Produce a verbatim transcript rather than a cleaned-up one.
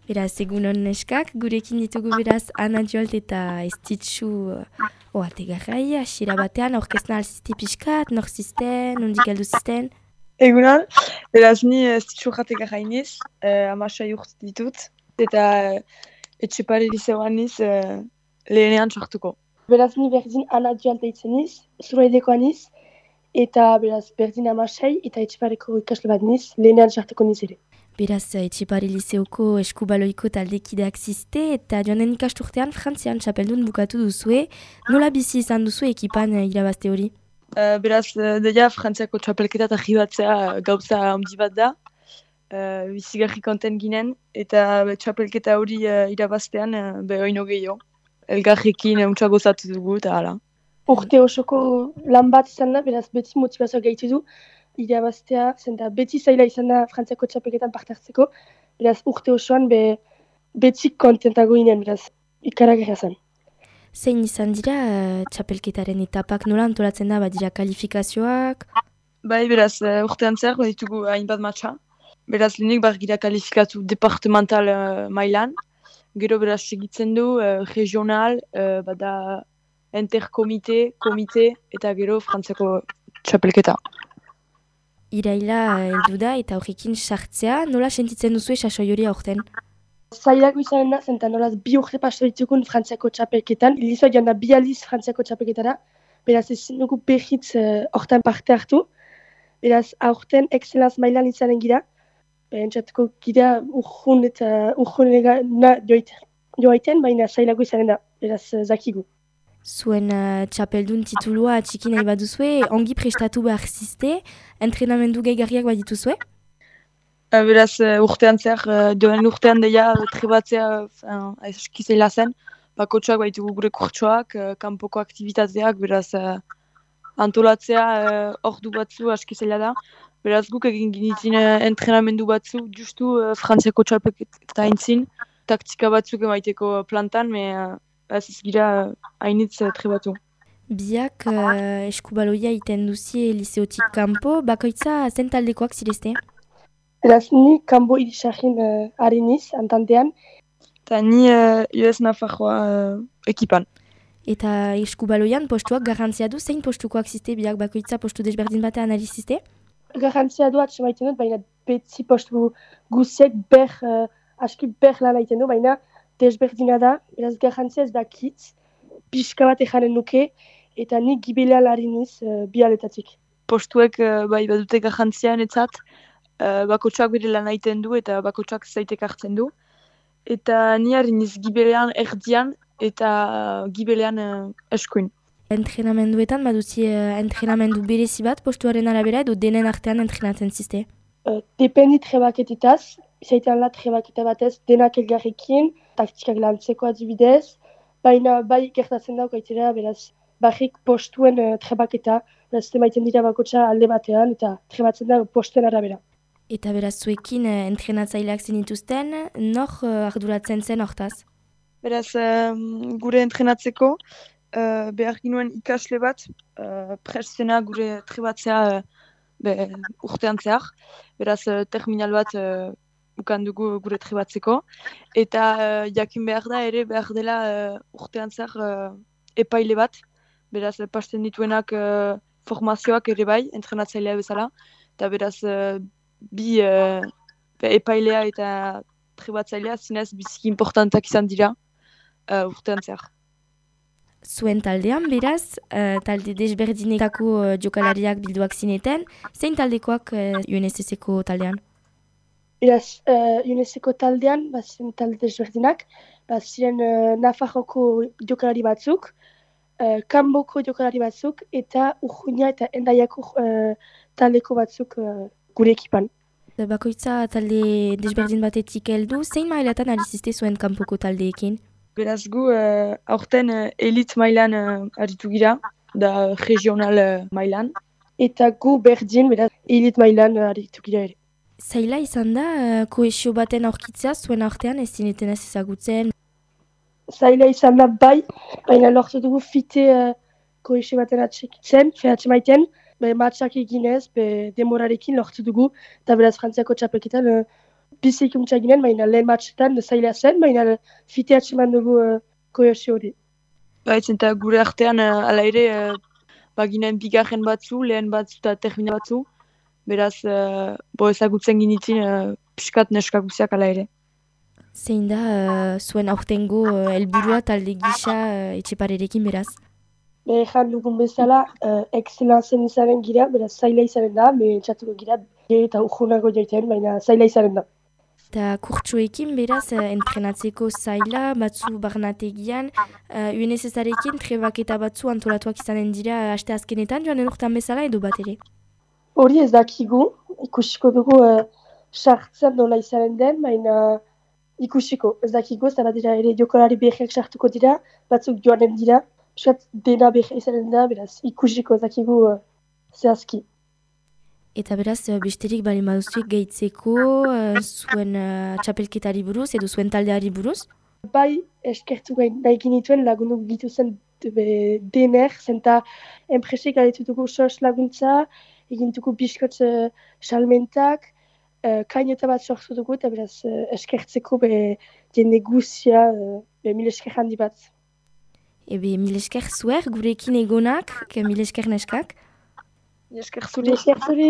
Beraz, egunon neskak, gurekin ditugu beraz Ana Jolt eta Estitxu oategarrai, asira batean, aurkezna alzizte pixkat, nor zizten, nondik heldu zizten? Egunon, beraz ni Estitxu oategarrai niz, eh, amasai urte ditut, eta eh, etxepare liceoan niz eh, lehenean sartuko. Beraz ni berdin Ana Jolt deitzen niz, zuraidekoa niz, eta beraz berdin amasai eta etxepareko ikasle bat niz, lehenean sartuko niz ere. Beraz, etxepare liceoko eskubaloiko taldekideak zizte eta joan den ikasturtean Frantzian txapeldun bukatu duzue. Nola bizi izan duzu ekipan irabazte hori? Uh, beraz, uh, deia Frantziako txapelketa eta jibatzea uh, gauza handi bat da. Uh, bizigarri konten ginen, eta be, txapelketa hori uh, irabaztean uh, behoino gehiago. Elgarrekin untsa gozatu dugu eta hala. Urte osoko lan bat izan da, beraz beti motivazioa gaitu du. Irabaztea, zenta beti zaila izan da Frantziako txapelketan parte hartzeko, beraz urte osoan be, beti kontentago ginen, beraz ikaragarria zen. Zein izan dira uh, txapelketaren etapak nola antolatzen da, badira kalifikazioak? Bai, beraz, uh, urtean zer, baditugu hainbat matxa. Beraz, lehenik bar gira kalifikatu departemental uh, mailan. Gero beraz segitzen du, uh, regional, uh, bada interkomite, komite, eta gero Frantziako txapelketa. Iraila heldu da eta horrekin sartzea, nola sentitzen duzu sasoi hori aurten? Zailako izanen da, zenta nolaz bi urte pasto ditukun Frantziako txapelketan. Ilizoa joan da bi aliz Frantziako txapelketara, beraz ezin dugu behitz hortan uh, parte hartu. Beraz aurten excelaz mailan izanen gira, entzatuko gira urjun eta urjunena joaiten, baina zailako izanen da, beraz uh, zakigu. Zuen uh, txapeldun titulua txiki nahi baduzue, ongi prestatu behar zizte, entrenamendu gehigarriak badituzue? Uh, beraz, uh, urtean zer, uh, doen urtean deia trebatzea uh, eskizela zen, bakotxoak baitugu gure kurtsoak, uh, kanpoko aktivitateak, beraz uh, antolatzea uh, ordu batzu eskizela da. Beraz guk egin ginitzen uh, entrenamendu batzu, justu uh, Frantziako txapelketa entzin, taktika batzuk emaiteko plantan, me uh, ez ez gira hainitz uh, trebatu. Biak uh, eskubaloia iten duzie liceotik kanpo, bakoitza zen taldekoak zirezte? Beraz, ni kanbo irisarrin uh, hariniz, antantean. Eta ni uh, U S Nafarroa uh, ekipan. Eta eskubaloian postuak garrantzia du, zein postukoak ziste biak bakoitza postu desberdin batean analiziste? Garrantzia du atxe maiten dut, baina beti postu guziek ber, uh, aski ber lan aiten du, baina desberdina da, beraz garrantzia ez dakitz, pixka bat ejanen nuke, eta ni gibelean hariniz uh, bi aletatik. Postuek uh, bai badute garrantzia enetzat, uh, bakotxak bere lan aiten du eta bakotxak zaitek hartzen du. Eta ni hariniz gibelean erdian eta uh, gibelean uh, eskuin. Entrenamenduetan baduzi uh, entrenamendu berezi bat postuaren arabera edo denen artean entrenatzen ziste? Uh, dependi trebaketitaz, izaitean la trebaketa batez denak elgarrekin, taktikak lantzeko adibidez, baina bai gertatzen dauk aitera, beraz, barrik postuen uh, trebaketa, beraz, emaiten dira bakotxa alde batean, eta trebatzen da postuen arabera. Eta beraz zuekin uh, entrenatzaileak zenituzten, nor uh, arduratzen zen hortaz? Beraz, um, gure entrenatzeko, uh, behar ginuen ikasle bat, uh, prestena gure trebatzea uh, be, urtean zehar. Beraz, uh, terminal bat uh, ukan dugu gure trebatzeko. Eta uh, jakin behar da ere behar dela uh, urtean zehar uh, epaile bat. Beraz, uh, pasten dituenak uh, formazioak ere bai, entrenatzailea bezala. Eta beraz, uh, bi uh, epailea eta trebatzailea zinez biziki importantak izan dira uh, urtean zehar. Zuen taldean, beraz, uh, talde desberdinetako uh, jokalariak bilduak zineten, zein taldekoak uh, U N S S-eko taldean? Beraz, uh, U N S S-eko taldean, baziren talde desberdinak, baziren uh, Nafarroko jokalari batzuk, uh, Kanboko jokalari batzuk, eta Urjuina eta Endaiako uh, taldeko batzuk uh, gure ekipan. Bakoitza talde desberdin batetik heldu, zein mailatan aliziste zuen kanpoko taldeekin? Beraz gu, uh, aurten uh, elit mailan uh, aritu gira, da regional uh, mailan. Eta gu berdin, beraz, elit mailan uh, aritu gira ere. Zaila izan da, uh, kohesio baten aurkitzea zuen artean ez zineten ez ezagutzen? Zaila izan da bai, baina lortu dugu fite uh, kohesio baten atxekitzen, fehatxe maiten, be, matxak eginez, be, demorarekin lortu dugu, eta beraz Frantziako txapelketan uh, bizik untsa ginen, baina lehen batxetan zaila zen, baina fitea atseman dugu uh, kohesio hori. Baitzen eta gure artean uh, ala ere uh, baginen bigarren batzu, lehen batzu eta termina batzu. Beraz, uh, bo ezagutzen ginitzen uh, piskat neskakuziak ala ere. Zein da uh, zuen aurtengo uh, helburua talde gisa uh, etxeparerekin beraz? Behan dugun bezala, uh, excelenzen izanen gira, beraz zaila izanen da, me txatuko gira, eta urgunago joiten, baina zaila izanen da. Eta kurtsuekin beraz, uh, entrenatzeko zaila, batzu barnategian, uh, U N S S-arekin trebaketa batzu antolatuak izanen dira aste azkenetan, joan urtean bezala edo bat ere? Hori ez dakigu, ikusiko dugu sartzen uh, nola izanen den, baina ikusiko, ez dakigu, zara dira ere jokolari behiak sartuko dira, batzuk joanen dira, piskat dena behia izanen da, beraz ikusiko ez dakigu uh, zehazki. Eta beraz, besterik bali maduzuik gehitzeko uh, zuen uh, txapelketari buruz edo zuen taldeari buruz? Bai, eskertu nahi ginituen lagundu gituzen dener, zenta enpresek galetu dugu sos laguntza, egintuko biskotz uh, salmentak, uh, kaineta bat sortu dugu, eta beraz uh, eskertzeko be jende guzia, uh, be mil esker handi bat. Ebe, mil esker zuer, gurekin egonak, mil esker neskak. Mil esker zuri. Mil esker zuri.